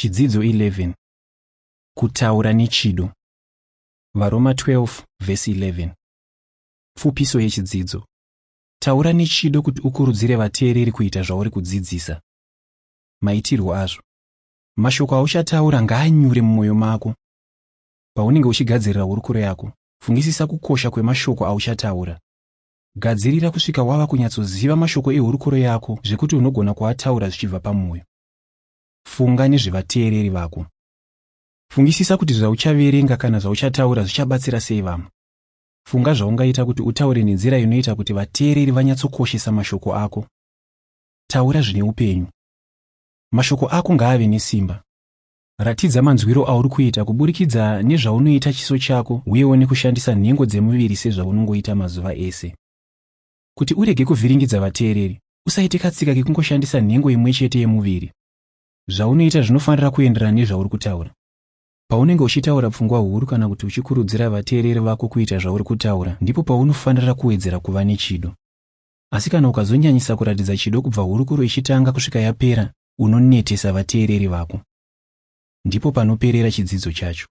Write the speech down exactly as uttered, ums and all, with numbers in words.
Chidzidzo eleven. Kutaura nechido. VaRoma twelve vhesi eleven. Pfupiso yechidzidzo. Taura nechido kuti ukurudzire vateereri kuita zvauri kudzidzisa. Maitirwo azvo. Mashoko auchataura ngaanyure mumwoyo mako. Paunenge uchigadzirira hurukuro yako, fungisisa kukosha kwemashoko auchataura. Gadzirira kusvika wava kunyatsoziva mashoko ehurukuro yako zvekuti unogona kuataura zvichibva pamwoyo. Funga nezvevateereri vako. Fungisisa kuti zvauchaverenga kana zvauchataura zvichabatsira sei vamwe. Funga zvaungaita kuti utaure nenzira inoita kuti vateereri vanyatsokoshesa mashoko ako. Taura zvine upenyu. Mashoko ako ngaave nesimba. Ratidza manzwiro auri kuita kuburikidza nezvaunoita chiso chako uyewo nekushandisa nhengo dzemuviri sezvaunongoita mazuva ese. Kuti urege kuvhiringidza vateereri, usaite katsika kekungoshandisa nhengo imwe chete yemuviri. Zvaunoita zvinofanira kuenderana nezvauri kutaura. Paunenge uchitaura pfungwa huru kana kuti uchikurudzira vateereri vako kuita zvauri kutaura, ndipo paunofanira kuwedzera kuva nechido. Asi kana ukazonyanyisa kuratidza chido kubva hurukuro ichitanga kusvika yapera, unonetesa vateereri vako. Ndipo panoperera chidzidzo chacho.